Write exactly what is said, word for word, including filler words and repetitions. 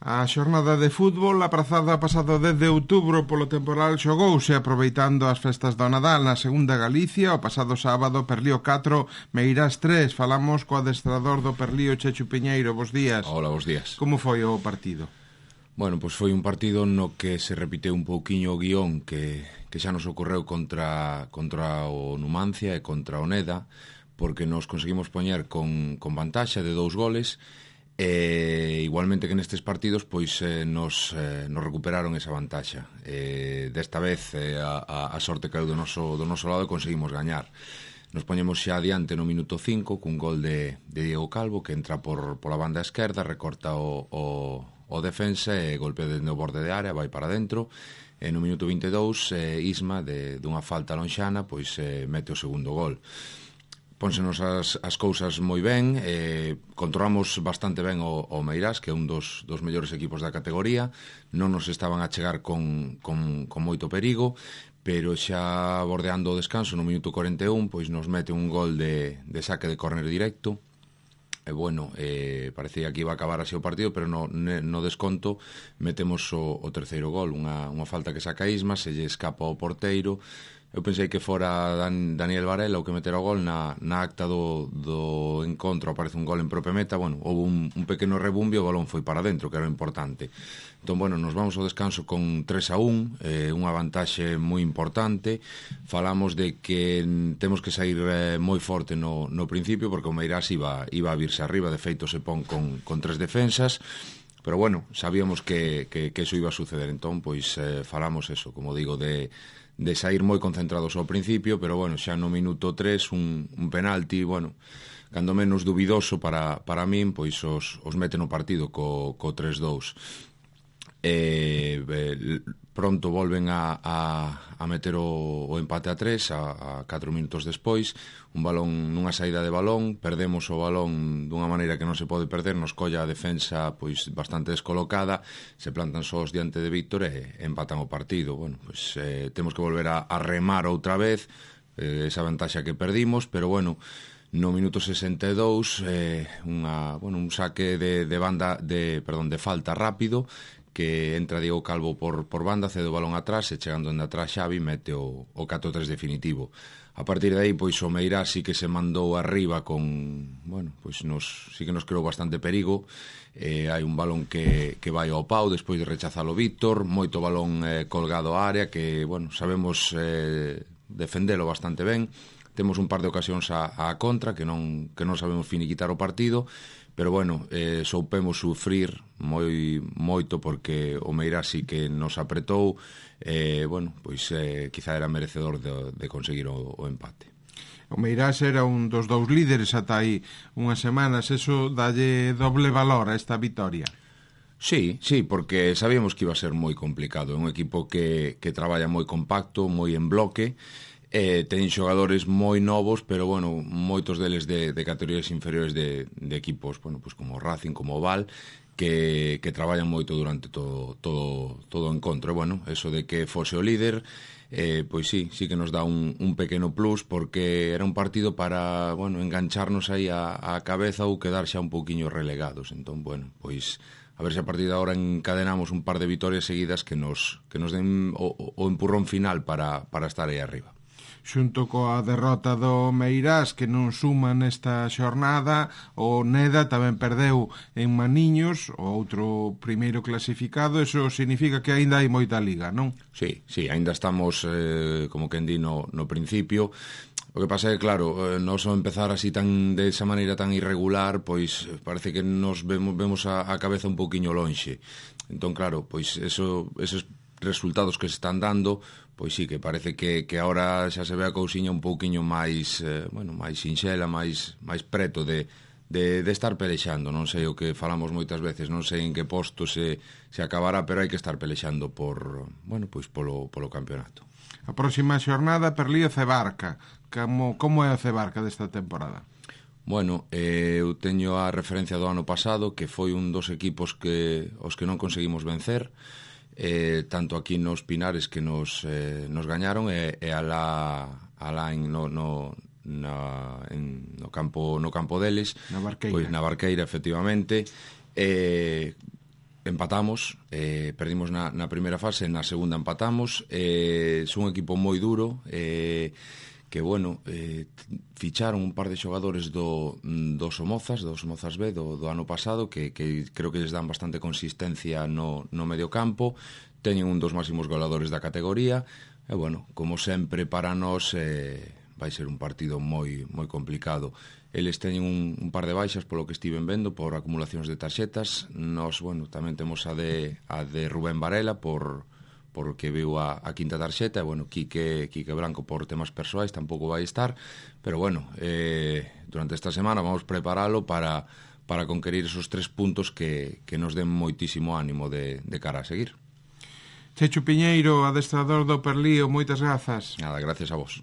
A xornada de fútbol aprazada pasado dez de outubro polo temporal xogouse aproveitando as festas do Nadal na segunda Galicia. O pasado sábado Perlío catro, Meirás tres. Falamos co adestrador do Perlío, Chechu Piñeiro. Bos días. Hola, bos días. Como foi o partido? Bueno, pois foi un partido no que se repiteu un pouquiño o guión que, que xa nos ocorreu contra, contra o Numancia e contra o Neda, porque nos conseguimos poñer con, con vantaxa de dous goles. E igualmente que nestes partidos pois eh, nos, eh, nos recuperaron esa vantaxa. Eh, desta vez eh, a, a sorte caeu do noso, do noso lado e conseguimos gañar. Nos poñemos xa adiante no minuto cinco cun gol de, de Diego Calvo que entra por pola banda esquerda, recorta o, o, o defensa e golpea dende o borde de área, vai para dentro. E no minuto vinte e dous eh, Isma de, dunha falta lonxana pois eh, mete o segundo gol. Pónsenos as, as cousas moi ben, eh, controlamos bastante ben o, o Meirás, que é un dos, dos mellores equipos da categoría, non nos estaban a chegar con, con, con moito perigo, pero xa bordeando o descanso no minuto cuarenta e un, pois nos mete un gol de, de saque de córner directo, e bueno, eh, parecía que iba a acabar así o partido, pero no, no desconto metemos o, o terceiro gol, unha, unha falta que saca Isma, se lle escapa ao porteiro. Eu pensei que fora Dan, Daniel Varela o que metera o gol na, na acta do, do encontro, aparece un gol en propia meta. Bueno, houve un, un pequeno rebumbio, o balón foi para dentro, que era o importante. Entón, bueno, nos vamos ao descanso con tres a un, eh, unha vantaxe moi importante. Falamos de que temos que sair eh, moi forte no, no principio, porque o Meirás iba, iba a virse arriba, de feito se pon con, con tres defensas. Pero bueno, sabíamos que, que, que eso iba a suceder. Entón, pois eh, falamos eso, como digo, de... de sair moi concentrados ao principio, pero bueno, xa no minuto tres un, un penalti, bueno, cando menos dubidoso para, para min, pois os, os mete no partido co, co tres dous. E, eh, pronto volven a, a, a meter o, o empate a tres a, a catro minutos despois, un balón nunha saída de balón, perdemos o balón dunha maneira que non se pode perder, nos colla a defensa pois bastante descolocada, se plantan sós diante de Víctor e empatan o partido. Bueno, pois eh, temos que volver a, a remar outra vez eh, esa vantaxa que perdimos, pero bueno, no minuto sesenta e dous eh, unha, bueno, un saque de, de banda de, perdón, de falta rápido, que entra Diego Calvo por, por banda, cede o balón atrás e chegando en atrás Xavi mete o, o catro tres definitivo. A partir de aí, pois o Meirás sí que se mandou arriba con, bueno, pois nos, sí que nos creou bastante perigo. Eh, hai un balón que, que vai ao pau despois de rechazalo Víctor, moito balón eh, colgado á área que, bueno, sabemos eh, defendelo bastante ben. Temos un par de ocasións á, á contra que non, que non sabemos finiquitar o partido, pero bueno, eh, soupemos sufrir moi moito porque o Meirás sí que nos apretou, eh, bueno, pois eh, quizá era merecedor de, de conseguir o, o empate. O Meirás era un dos dous líderes ata aí unhas semanas, eso dalle doble valor a esta vitoria. Sí, sí, porque sabíamos que iba a ser moi complicado, é un equipo que, que traballa moi compacto, moi en bloque. Eh, ten xogadores moi novos, pero bueno, moitos deles de, de categorías inferiores de, de equipos, bueno, pues como Racing, como o Val, que, que traballan moito durante todo, todo, todo o encontro. E bueno, eso de que fose o líder, eh, pois sí, sí que nos dá un, un pequeno plus, porque era un partido para, bueno, engancharnos aí a, a cabeza ou quedar xa un pouquiño relegados. Entón, bueno, pois a ver se a partir de agora encadenamos un par de vitorias seguidas que nos, que nos den o, o empurrón final para, para estar aí arriba. Xunto coa derrota do Meirás, que non suma nesta xornada, o Neda tamén perdeu en Maniños, o outro primeiro clasificado. Eso significa que aínda hai moita liga, non? Sí, sí, aínda estamos, eh, como quen di, no, no principio. O que pasa é que, claro, eh, nos ao empezar así tan de esa maneira tan irregular, pois parece que nos vemos, vemos a, a cabeza un pouquiño lonxe. Entón, claro, pois eso, esos resultados que se están dando, pois sí, que parece que, que agora xa se ve a cousiña un pouquiño máis, eh, bueno, máis sinxela, máis, máis preto de, de, de estar pelexando. Non sei o que falamos moitas veces, non sei en que posto se, se acabará, pero hai que estar pelexando por, bueno, pois polo, polo campeonato. A próxima xornada, Perlío Cebarca. Como, como é o Cebarca desta temporada? Bueno, eh, eu teño a referencia do ano pasado, que foi un dos equipos que os que non conseguimos vencer, eh, tanto aquí nos Pinares que nos, eh, nos gañaron e, e alá, alá en, no, no, na, en, no, campo, no campo deles, na Barqueira, pois na Barqueira, efectivamente. E, empatamos, eh, perdimos na, na primeira fase, na segunda empatamos, eh, son un equipo moi duro, eh, que, bueno, eh, ficharon un par de xogadores do, do Somozas, do Somozas B, do, do ano pasado, que, que creo que les dan bastante consistencia no, no medio campo, teñen un dos máximos goleadores da categoría, e, bueno, como sempre para nós, eh, vai ser un partido moi moi complicado. Eles teñen un, un par de baixas polo que estiven vendo por acumulacións de tarxetas. Nós, bueno, tamén temos a de, a de Rubén Varela por, por que viu a, a quinta tarxeta. Bueno, Quique, Quique Blanco por temas persoais tampouco vai estar, pero bueno, eh, durante esta semana vamos preparalo para, para conquerir esos tres puntos que, que nos den moitísimo ánimo de, de cara a seguir. Chechu Piñeiro, adestrador do Perlío, moitas grazas. Nada, gracias a vos.